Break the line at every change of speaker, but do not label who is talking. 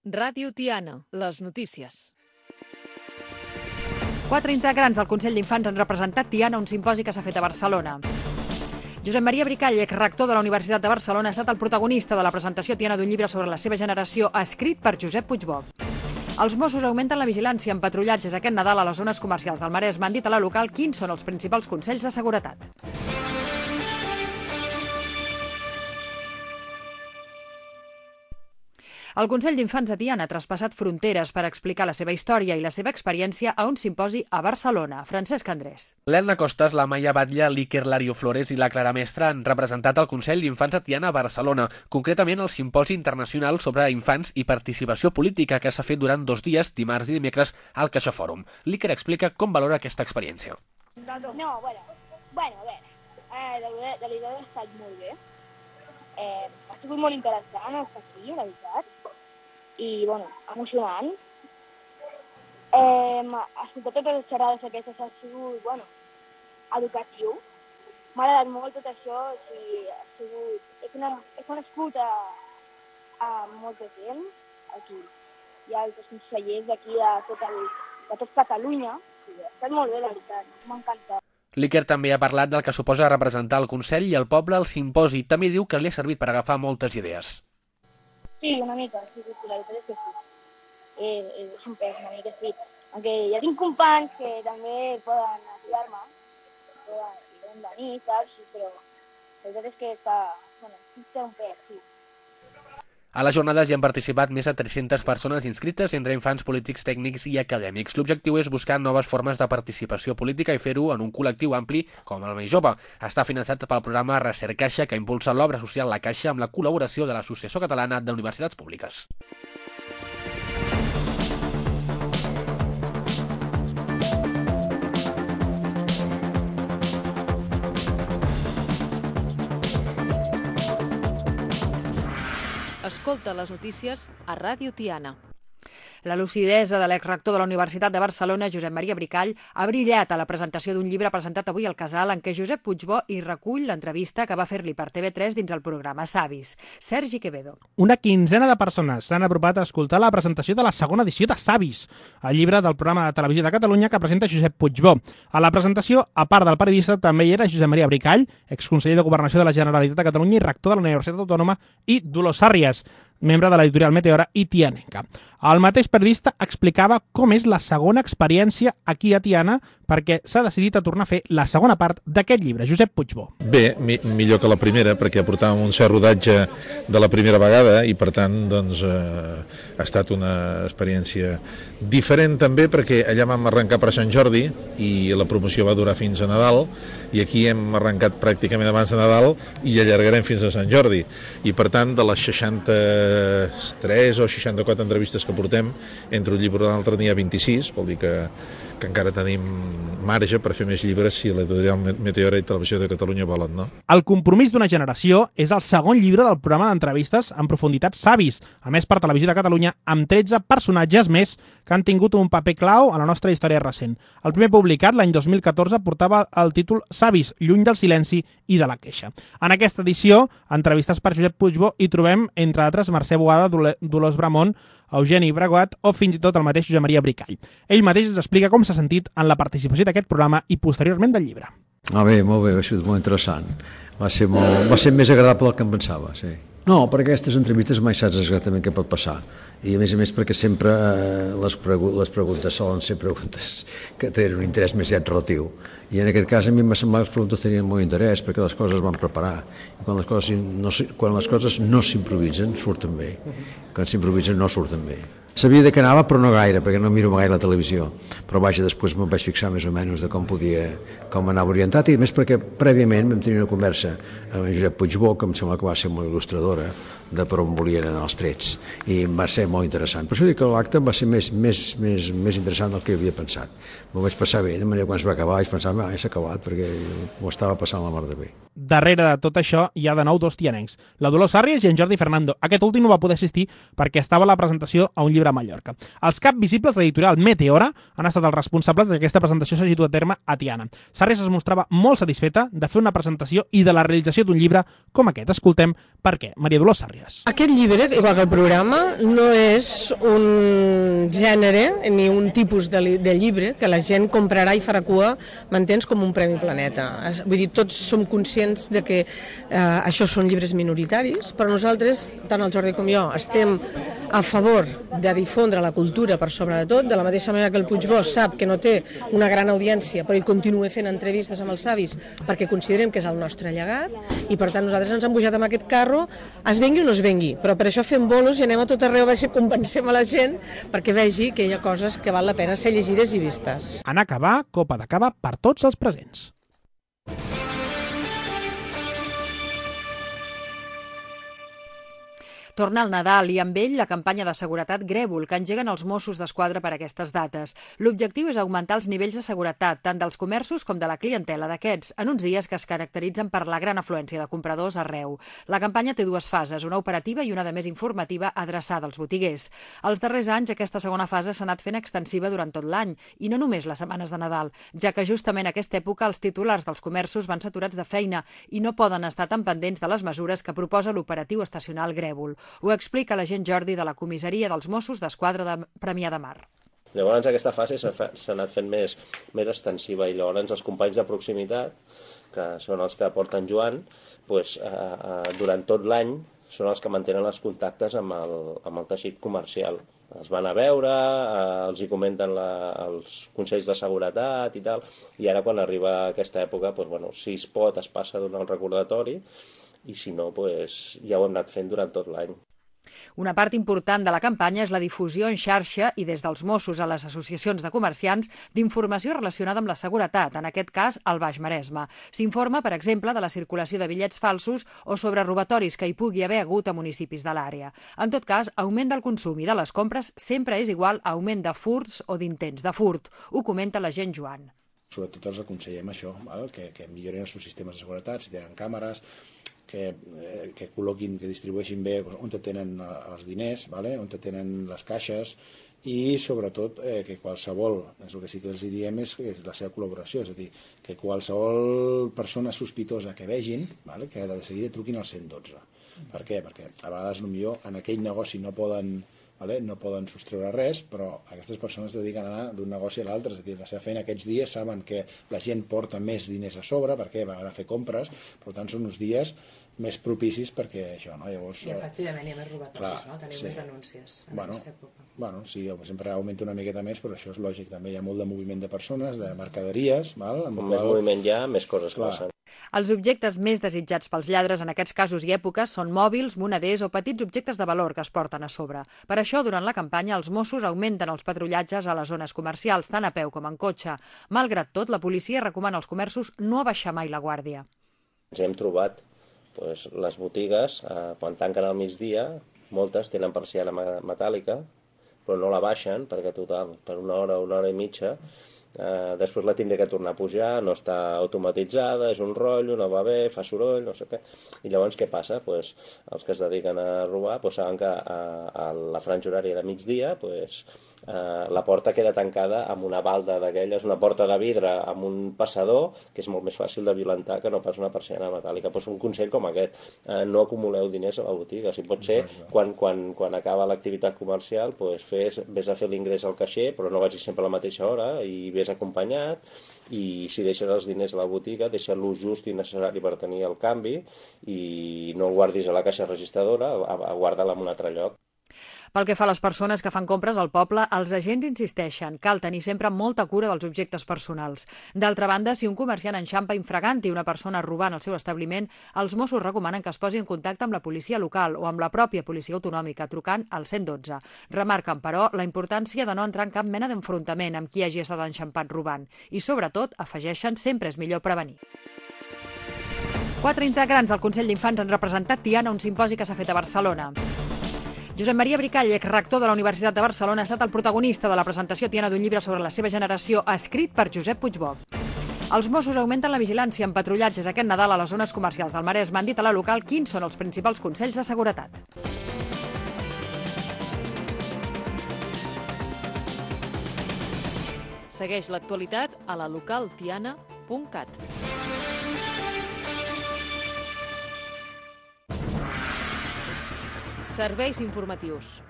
Ràdio Tiana, les notícies.
4 integrants del Consell d'Infants han representat Tiana a un simposi que s'ha fet a Barcelona. Josep Maria Bricall, exrector de la Universitat de Barcelona, ha estat el protagonista de la presentació a Tiana d'un llibre sobre la seva generació, escrit per Josep Puigbó. Els Mossos augmenten la vigilància en patrullatges aquest Nadal a les zones comercials del Maresme. Han dit a la local quins són els principals consells de seguretat. El Consell d'Infants de Tiana ha traspassat fronteres per explicar la seva història i la seva experiència a un simposi a Barcelona. Francesc Andrés.
L'Elna Costas, la Maia Batlle, l'Iker Lario Flores i la Clara Mestre han representat el Consell d'Infants de Tiana a Barcelona, concretament el Simposi Internacional sobre Infants i Participació Política que s'ha fet durant 2 dies, dimarts i dimecres, al Caixa Fòrum. L'Iker explica com valora aquesta experiència.
Bueno, a veure, de veritat ha estat molt bé. Ha sigut molt interessant estar aquí, la veritat. I, emocionant. Escoltar totes les xerrades aquestes ha sigut, educatiu. M'ha agradat molt tot això, he conegut a molta gent aquí. Hi ha altres consellers d'aquí de tot Catalunya. Ha estat molt bé, la veritat, m'ha encantat.
L'Iker també ha parlat del que suposa representar el Consell i el poble al simposi. També diu que li ha servit per agafar moltes idees.
Sí, una mica, sí, la veritat és que sí. És un pes, una mica sí. Aunque ja tinc companys que també poden ajudar-me, poden venir, saps? Però la veritat és que té un pes, sí.
A les jornades hi han participat més de 300 persones inscrites entre infants, polítics, tècnics i acadèmics. L'objectiu és buscar noves formes de participació política i fer-ho en un col·lectiu ampli com el més jove. Està finançat pel programa Recercaixa, que impulsa l'obra social La Caixa amb la col·laboració de l'Associació Catalana d'Universitats Públiques.
Escolta les notícies a Ràdio Tiana.
La lucidesa de l'exrector de la Universitat de Barcelona, Josep Maria Bricall, ha brillat a la presentació d'un llibre presentat avui al Casal en què Josep Puigbó hi recull l'entrevista que va fer-li per TV3 dins el programa Savis. Sergi Quevedo.
Una quinzena de persones s'han apropat a escoltar la presentació de la segona edició de Savis, el llibre del programa de televisió de Catalunya que presenta Josep Puigbó. A la presentació, a part del periodista, també hi era Josep Maria Bricall, exconseller de Governació de la Generalitat de Catalunya i rector de la Universitat Autònoma, i Dolors Sàrries, membre de l'editorial Meteora i tianenca. El mateix periodista explicava com és la segona experiència aquí a Tiana perquè s'ha decidit a tornar a fer la segona part d'aquest llibre. Josep Puigbó.
Bé, millor que la primera, perquè portàvem un cert rodatge de la primera vegada i, per tant, ha estat una experiència diferent també perquè allà vam arrencar per Sant Jordi i la promoció va durar fins a Nadal i aquí hem arrencat pràcticament abans de Nadal i allargarem fins a Sant Jordi. I, per tant, de les 63 o 64 entrevistes que portem, entre un llibre i l'altre n'hi ha 26, vol dir que encara tenim marge per fer més llibres si l'editorial Meteora i Televisió de Catalunya volen, no?
El compromís d'una generació és el segon llibre del programa d'entrevistes en profunditat Savis, a més per Televisió de Catalunya, amb 13 personatges més que han tingut un paper clau a la nostra història recent. El primer publicat, l'any 2014, portava el títol Savis, lluny del silenci i de la queixa. En aquesta edició, entrevistes per Josep Puigbó, hi trobem, entre altres, Mercè Boada, Dolors Bramont, Eugeni Braguat o fins i tot el mateix Josep Maria Bricall. Ell mateix ens explica com s'ha sentit en la participació d'aquest programa i posteriorment del llibre.
Bé, molt bé, ha sigut molt interessant. Va ser més agradable del que em pensava, sí. No, perquè aquestes entrevistes mai saps exactament què pot passar. I a més perquè sempre les preguntes solen ser preguntes que tenen un interès més relatiu. I en aquest cas a mi m'ha semblat que les preguntes tenien molt interès perquè les coses van preparar. I quan les coses no s'improvisen, surten bé. Quan s'improvisen no surten bé. Sabia de què anava, però no gaire, perquè no miro gaire la televisió. Però vaja, després me'n vaig fixar més o menys de com anava orientat, i més perquè prèviament vam tenir una conversa amb Josep Puigbó, que em sembla que va ser molt il·lustradora de per on volien anar els trets, i va ser molt interessant. Per això dic que l'acte va ser més interessant del que havia pensat. M'ho vaig passar bé, de manera que quan es va acabar vaig pensar, ja s'ha acabat, perquè m'ho estava passant la mar de bé.
Darrere de tot això hi ha de nou 2 tianencs, la Dolors Sàrries i en Jordi Fernando. Aquest últim no va poder assistir perquè estava a la presentació a un llibre llibre a Mallorca. Els cap visibles de l'editorial Meteora han estat els responsables que aquesta presentació s'hagi dut a terme a Tiana. Sarrias es mostrava molt satisfeta de fer una presentació i de la realització d'un llibre com aquest. Escoltem per què. Maria Dolors Sarrias.
Aquest llibre, igual que el programa, no és un gènere ni un tipus de llibre que la gent comprarà i farà cua, m'entens, com un Premi Planeta. Vull dir, tots som conscients de que això són llibres minoritaris, però nosaltres, tant el Jordi com jo, estem a favor de difondre la cultura per sobre de tot, de la mateixa manera que el Puigvós sap que no té una gran audiència, però ell continua fent entrevistes amb els avis perquè considerem que és el nostre llegat, i per tant nosaltres ens hem pujat amb aquest carro, es vengui o no es vengui, però per això fem bolos i anem a tot arreu a veure si convencem a la gent perquè vegi que hi ha coses que val la pena ser llegides i vistes.
En acabar, copa de cava per tots els presents.
Torna el Nadal i amb ell la campanya de seguretat Grèvol que engeguen els Mossos d'Esquadra per aquestes dates. L'objectiu és augmentar els nivells de seguretat tant dels comerços com de la clientela d'aquests, en uns dies que es caracteritzen per la gran afluència de compradors arreu. La campanya té dues fases, una operativa i una de més informativa adreçada als botiguers. Els darrers anys aquesta segona fase s'ha anat fent extensiva durant tot l'any i no només les setmanes de Nadal, ja que justament a aquesta època els titulars dels comerços van saturats de feina i no poden estar tan pendents de les mesures que proposa l'operatiu estacional Grèvol. Ho explica l'agent Jordi de la comissaria dels Mossos d'Esquadra de Premià de Mar.
Llavors aquesta fase s'ha anat fent més extensiva i llavors els companys de proximitat, que són els que porten Joan, durant tot l'any són els que mantenen els contactes amb el teixit comercial. Els van a veure, els hi comenten els consells de seguretat i tal, i ara quan arriba aquesta època, si es pot es passa a donar un recordatori, i si no, ja ho hem anat fent durant tot l'any.
Una part important de la campanya és la difusió en xarxa i des dels Mossos a les associacions de comerciants d'informació relacionada amb la seguretat, en aquest cas al Baix Maresme. S'informa, per exemple, de la circulació de bitllets falsos o sobre robatoris que hi pugui haver hagut a municipis de l'àrea. En tot cas, augment del consum i de les compres sempre és igual a augment de furts o d'intents de furt. Ho comenta l'agent Joan.
Sobretot els aconsellem això, que millorin els seus sistemes de seguretat, si tenen càmeres, que col·loquin, que distribueixin bé on tenen els diners, on tenen les caixes i sobretot que qualsevol, el que sí que els diem és la seva col·laboració, és a dir, que qualsevol persona sospitosa que vegin, que de seguida truquin al 112. Per què? Perquè a vegades potser en aquell negoci no poden sostreure res, però aquestes persones es dediquen a anar d'un negoci a l'altre, és a dir, la seva feina aquests dies saben que la gent porta més diners a sobre perquè van a fer compres, per tant són uns dies més propicis perquè això, no? Llavors,
i efectivament hi ha més robatoris, no? Teniu més denúncies en aquesta època.
Sí, sempre augmenta una miqueta més, però això és lògic, també hi ha molt de moviment de persones, de mercaderies,
Com més moviment hi ha, més coses passen.
Els objectes més desitjats pels lladres en aquests casos i èpoques són mòbils, moneders o petits objectes de valor que es porten a sobre. Per això, durant la campanya, els Mossos augmenten els patrullatges a les zones comercials, tant a peu com en cotxe. Malgrat tot, la policia recomana als comerços no abaixar mai la guàrdia.
Ens hem trobat les botigues, quan tanquen al migdia, moltes tenen persiana metàl·lica, però no la baixen, perquè total, per una hora i mitja, després la tindré que tornar a pujar, no està automatitzada, és un rotllo, no va bé, fa soroll, no sé què. I llavors què passa? Els que es dediquen a robar saben que a la franja horària de migdia la porta queda tancada amb una balda d'aquelles, una porta de vidre amb un passador, que és molt més fàcil de violentar que no pas una persiana metàl·lica. Un consell com aquest, no acumuleu diners a la botiga. Si pot ser, quan acaba l'activitat comercial, vés a fer l'ingrés al caixer, però no vagis sempre a la mateixa hora i vés acompanyat, i si deixes els diners a la botiga, deixa-lo just i necessari per tenir el canvi i no el guardis a la caixa registradora, guarda-la en un altre lloc.
Pel que fa a les persones que fan compres al poble, els agents insisteixen, cal tenir sempre molta cura dels objectes personals. D'altra banda, si un comerciant enxampa infragant i una persona robant al seu establiment, els Mossos recomanen que es posi en contacte amb la policia local o amb la pròpia policia autonòmica, trucant al 112. Remarquen, però, la importància de no entrar en cap mena d'enfrontament amb qui hagi estat enxampat robant. I, sobretot, afegeixen, sempre és millor prevenir. 4 integrants del Consell d'Infants han representat Tiana a un simposi que s'ha fet a Barcelona. Josep Maria Bricall, rector de la Universitat de Barcelona, ha estat el protagonista de la presentació Tiana d'un llibre sobre la seva generació, escrit per Josep Puigvó. Els Mossos augmenten la vigilància en patrullatges aquest Nadal a les zones comercials del Maresme. Han dit a la local quins són els principals consells de seguretat.
Segueix l'actualitat a la localtiana.cat. Serveis informatius.